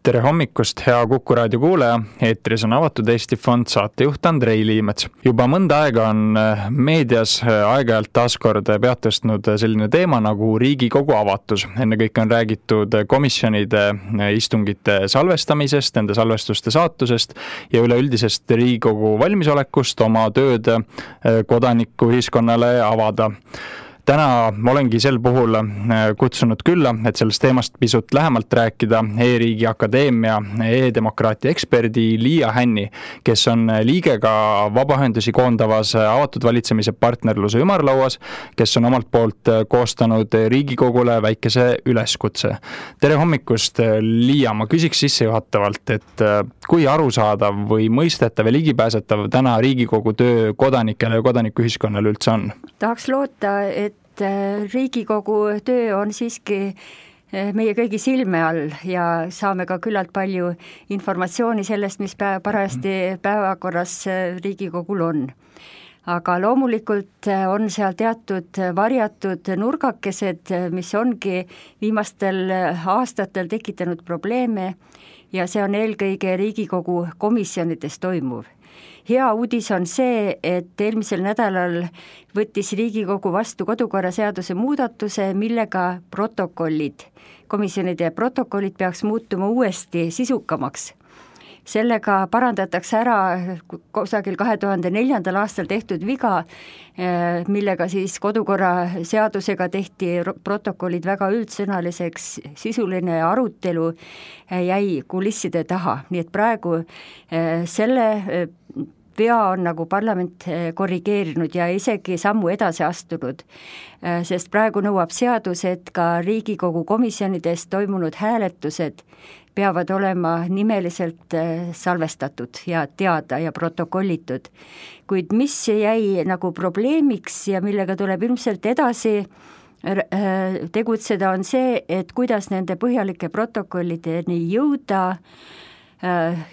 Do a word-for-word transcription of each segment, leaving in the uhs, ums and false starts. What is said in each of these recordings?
Tere hommikust, hea Kuku raadio kuulaja. Eetris on Avatud Eesti Fond saatejuht Andrei Liimets. Juba mõnda aega on meedias aeg-ajalt taaskord peatõstnud selline teema nagu Riigikogu avatus. Enne kõik on räägitud komisjonide istungite salvestamisest, nende salvestuste saatusest ja üleüldisest Riigikogu valmisolekust oma tööd kodanikuühiskonnale avada. Täna olengi sel puhul kutsunud külla, et sellest teemast pisut lähemalt rääkida E-riigi Akadeemia e-demokraatia eksperdi Liia Hänni, kes on liige ka vabaühendusi koondavas avatud valitsemise partnerluse ümarlauas, kes on omalt poolt koostanud Riigikogule väikese üleskutse. Tere hommikust, Liia, ma küsiks sissejuhatavalt, et kui arusaadav või mõistetav ja ligipääsetav täna Riigikogu töö kodanikele ja kodanikuühiskonnale üldse on? Tahaks loota, et Riigikogu töö on siiski meie kõigi silme all ja saame ka küllalt palju informatsiooni sellest, mis päev, parajasti päevakorras Riigikogul on. Aga loomulikult on seal teatud varjatud nurgakesed, mis ongi viimastel aastatel tekitanud probleeme ja see on eelkõige Riigikogu komisjonides toimuv. Hea uudis on see, et eelmisel nädalal võttis Riigikogu vastu kodukorraseaduse muudatuse, millega protokollid, komisjonide protokollid peaks muutuma uuesti sisukamaks. Sellega parandatakse ära kusagil kahe tuhande neljandal aastal tehtud viga, millega siis kodukorra seadusega tehti protokollid väga üldsõnaliseks, sisuline arutelu jäi kulisside taha. Nii et praegu selle vea on nagu parlament korrigeerinud ja isegi sammu edasi astunud, sest praegu nõuab seadus, et ka Riigikogu komisjonides toimunud hääletused peavad olema nimeliselt salvestatud ja teada ja protokollitud. Kuid mis jäi nagu probleemiks ja millega tuleb ilmselt edasi tegutseda, on see, et kuidas nende põhjalike protokollideni jõuda.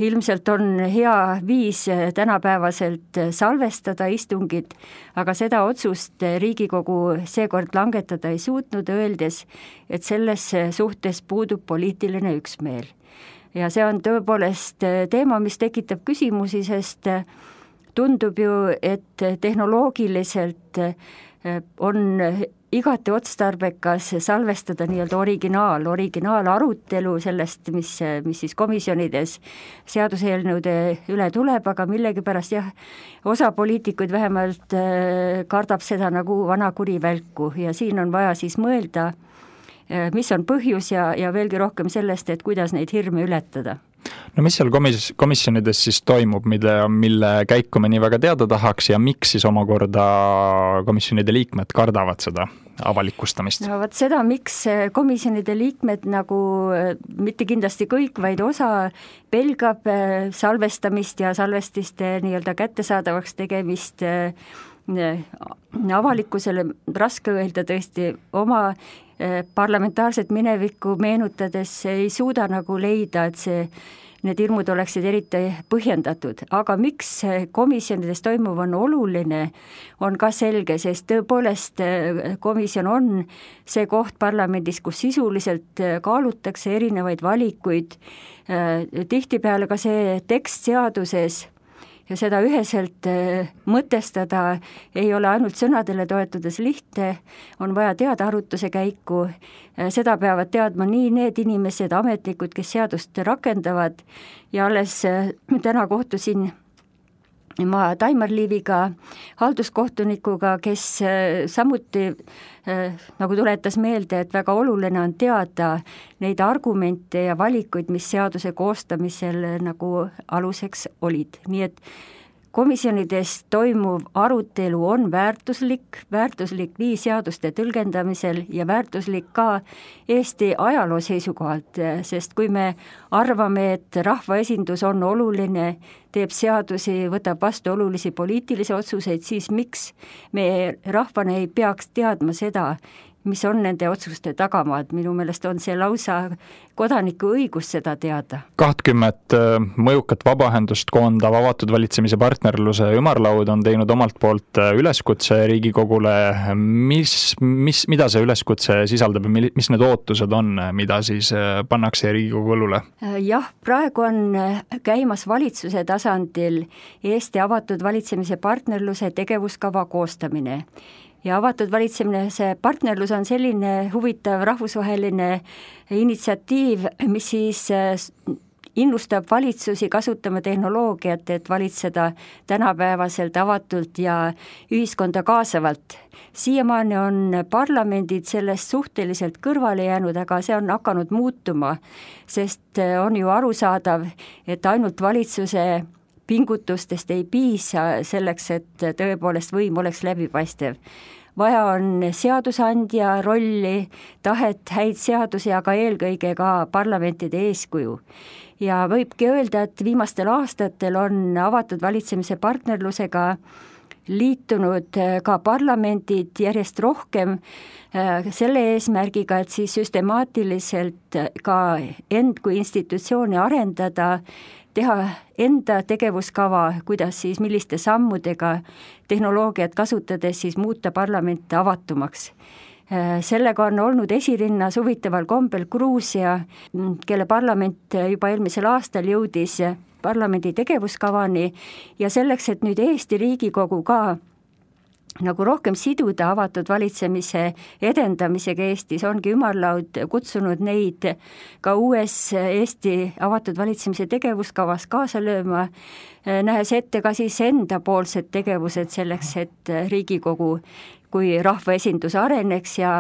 Ilmselt on hea viis tänapäevaselt salvestada istungid, aga seda otsust Riigikogu seekord langetada ei suutnud, öeldes, et selles suhtes puudub poliitiline üksmeel. Ja see on tõepoolest teema, mis tekitab küsimusi, sest tundub ju, et tehnoloogiliselt on igati otstarbekas salvestada nii-öelda originaal, originaal arutelu sellest, mis, mis siis komisjonides seaduseelnõude üle tuleb, aga millegipärast jah, osa poliitikuid vähemalt kardab seda nagu vana kuri välku ja siin on vaja siis mõelda, mis on põhjus ja, ja veelgi rohkem sellest, et kuidas neid hirme ületada. No mis seal komis- komisjonides siis toimub, mille, mille käiku me nii väga teada tahaks ja miks siis omakorda komisjonide liikmed kardavad seda avalikustamist? No vaat seda, miks komisjonide liikmed nagu mitte kindlasti kõik, vaid osa pelgab salvestamist ja salvestiste nii-öelda kättesaadavaks tegemist avalikkusele, raske öelda tõesti oma parlamentaarset minevikku meenutades ei suuda nagu leida, et see, need hirmud oleksid eriti põhjendatud. Aga miks komisjonides toimuv on oluline, on ka selge, sest tõepoolest komisjon on see koht parlamendis, kus sisuliselt kaalutakse erinevaid valikuid. Tihtipeale ka see tekst seaduses ja seda üheselt mõtestada ei ole ainult sõnadele toetudes lihtne, on vaja teada arutuse käiku, seda peavad teadma nii need inimesed, ametnikud, kes seadust rakendavad ja alles täna kohtusin ma Taimar Liiviga, halduskohtunikuga, kes samuti nagu tuletas meelde, et väga oluline on teada neid argumente ja valikuid, mis seaduse koostamisel nagu aluseks olid. Nii et komisjonides toimuv arutelu on väärtuslik, väärtuslik nii seaduste tõlgendamisel ja väärtuslik ka Eesti ajaloo seisukohalt, sest kui me arvame, et rahvaesindus on oluline, teeb seadusi, võtab vastu olulisi poliitilisi otsuseid, siis miks me rahvana ei peaks teadma seda, mis on nende otsuste tagamaad, minu meelest on see lausa kodaniku õigus seda teada. kahtkümmet mõjukat vabaühendust koondav avatud valitsemise partnerluse ümarlaud on teinud omalt poolt üleskutse Riigikogule. Mis, mis, mida see üleskutse sisaldab ja mis need ootused on, mida siis pannakse Riigikogu õlule? Jah, praegu on käimas valitsuse tasandil Eesti avatud valitsemise partnerluse tegevuskava koostamine. Ja avatud valitsemise partnerlus on selline huvitav rahvusvaheline initsiatiiv, mis siis innustab valitsusi kasutama tehnoloogiat, et valitseda tänapäevaselt avatult ja ühiskonda kaasavalt. Siiamaani on parlamendid sellest suhteliselt kõrvale jäänud, aga see on hakanud muutuma, sest on ju arusaadav, et ainult valitsuse pingutustest ei piisa selleks, et tõepoolest võim oleks läbipaistev. Vaja on seadusandja rolli, tahet, häid seadusi, aga eelkõige ka parlamentide eeskuju. Ja võibki öelda, et viimastel aastatel on avatud valitsemise partnerlusega liitunud ka parlamendid järjest rohkem selle eesmärgiga, et siis süstemaatiliselt ka end kui institutsiooni arendada, teha enda tegevuskava, kuidas siis milliste sammudega tehnoloogiat kasutades siis muuta parlament avatumaks. Sellega on olnud esirinnas huvitaval kombel Gruusia, kelle parlament juba eelmisel aastal jõudis parlamendi tegevuskavani ja selleks, et nüüd Eesti Riigikogu ka nagu rohkem siduda avatud valitsemise edendamisega Eestis, ongi ümarlaud kutsunud neid ka uues Eesti avatud valitsemise tegevuskavas kaasa lööma, nähes ette ka siis endapoolsed tegevused selleks, et Riigikogu kui rahvaesindus areneks ja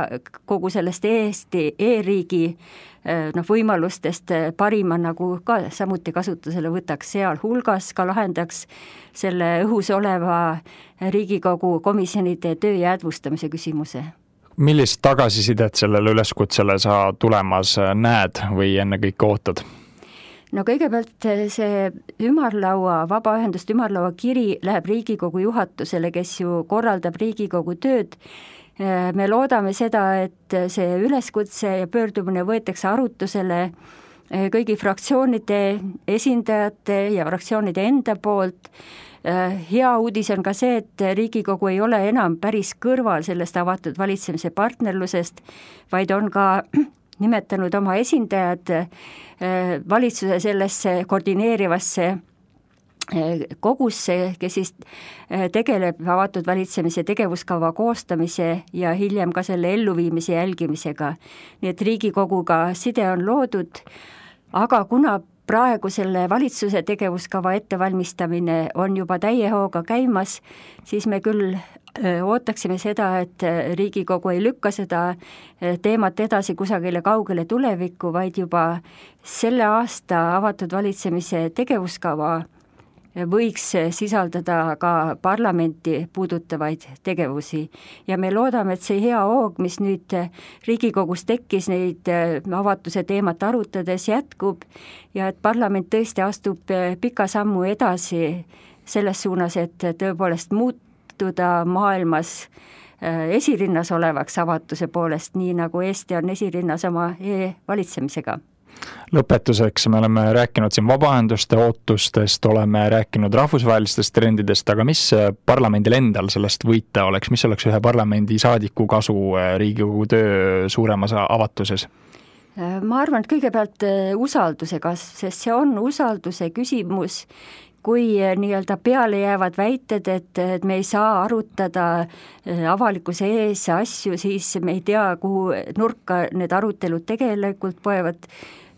kogu sellest Eesti e-riigi noh, võimalustest parima nagu ka samuti kasutusele võtaks, seal hulgas ka lahendaks selle õhus oleva Riigikogu komisjonide töö jäädvustamise küsimuse. Millist tagasisidet sellele üleskutsele sa tulemas näed või ennekõike ootad? No kõigepealt see ümarlaua, vabaühenduste ümarlaua kiri läheb Riigikogu juhatusele, kes ju korraldab Riigikogu tööd. Me loodame seda, et see üleskutse ja pöördumine võetakse arutusele kõigi fraktsioonide esindajate ja fraktsioonide enda poolt. Hea uudis on ka see, et Riigikogu ei ole enam päris kõrval sellest avatud valitsemise partnerlusest, vaid on ka nimetanud oma esindajad valitsuse sellesse koordineerivasse kogusse, kes siis tegeleb avatud valitsemise tegevuskava koostamise ja hiljem ka selle elluviimise jälgimisega. Nii et Riigikoguga side on loodud, aga kuna praegu selle valitsuse tegevuskava ettevalmistamine on juba täie hooga käimas, siis me küll ootaksime seda, et Riigikogu ei lükka seda teemat edasi kusagile kaugele tulevikku, vaid juba selle aasta avatud valitsemise tegevuskava võiks sisaldada ka parlamenti puudutavaid tegevusi. Ja me loodame, et see hea hoog, mis nüüd Riigikogus tekkis neid avatuse teemat arutades, jätkub ja et parlament tõesti astub pika sammu edasi selles suunas, et tõepoolest muutuda maailmas esirinnas olevaks avatuse poolest, nii nagu Eesti on esirinnas oma e-valitsemisega. Lõpetuseks me oleme rääkinud siin vabaühenduste ootustest, oleme rääkinud rahvusvahelistest trendidest, aga mis parlamendil endal sellest võita oleks, mis oleks ühe parlamendi saadiku kasu Riigikogu töö suuremas avatuses? Ma arvan, et kõigepealt usalduse kasv, sest see on usalduse küsimus, kui nii-öelda peale jäävad väited, et, et me ei saa arutada avalikkuse ees asju, siis me ei tea, kuhu nurka need arutelud tegelikult poevad.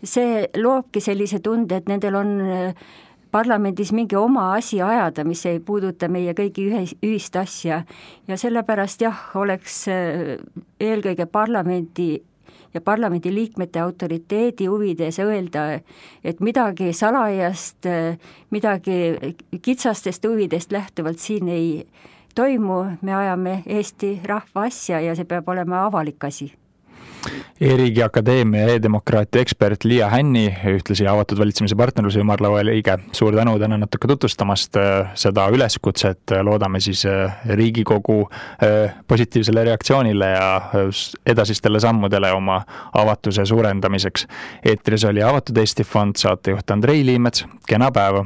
See loobki sellise tunde, et nendel on parlamendis mingi oma asi ajada, mis ei puuduta meie kõigi ühist asja. Ja sellepärast jah, oleks eelkõige parlamendi ja parlamendi liikmete autoriteedi huvides öelda, et midagi salajast, midagi kitsastest huvidest lähtuvalt siin ei toimu, me ajame Eesti rahva asja ja see peab olema avalik asi. E-riigi Akadeemia e-demokraatia ekspert Liia Hänni, ühtlasi avatud valitsemise partnerluse ümarlaua liige. Suur tänu täna natuke tutvustamast seda üleskutset, loodame siis Riigikogu positiivsele reaktsioonile ja edasistele sammudele oma avatuse suurendamiseks. Eetris oli Avatud Eesti Fond, saatejuht Andrei Liimets, kena päeva!